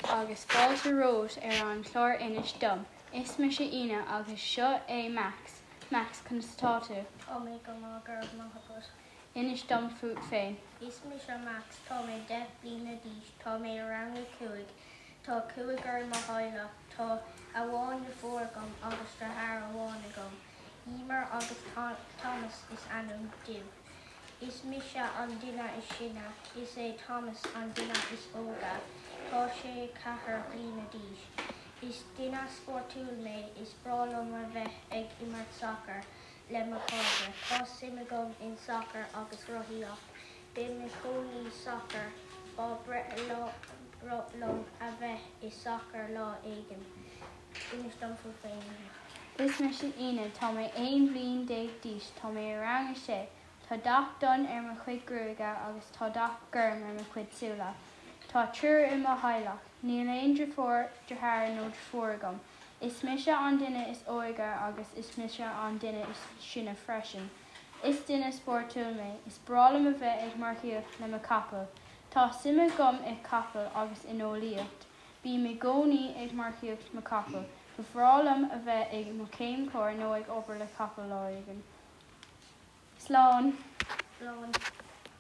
agus fáilte romhat ar an chlár Inis Dom. Is mise Aoine agus seo é Max. Max, conas atá tú? Tá mé go maith, go raibh maith agat. Inis dom fút féin. Is mise Max, tá mé 10 bliana d'aois, tá mé i rang a 5. Tá cúigear i mo theaghlach, tá amháin deirfiúr agam agus deartháir amháin agam. Emer agus Thomas is ainm dóibh. Is mise an duine is sine. Is é Thomas an duine is óige. Tá sé 4 bliana d'aois. Is duine spórtúil mé. Is breá liom a bheith ag imirt sacair le mo chairde. Tá suim agam in sacar agus rothaíocht. Bím i gcónaí sacar. Ba breá liom a bheith i sacar lá éigin. Inis dom fút féin. Is mise Aoine, tá mé 11 bhliain d'aois, tá mé i rang a sé. Tá dath donn ar mo chuid gruaige agus tá dath gorm ar mo chuid súile. Tá triúr i mo theaghlach. Níl aon deirfiúr, deartháir nó deirfiúr agam. Is mise an duine is óige agus is mise an duine is sine freisin. Is duine spórtúil mé. Is breá liom a bheith ag marcaíocht le mo chapall. Tá suim agam i capaill agus in eolaíocht. Bím i gcónaí ag marcaíocht mo chapall. Ba bhreá liom a bheith i mo chéimchomhair nó ag obair le capaill lá éigin. Slán. Slán.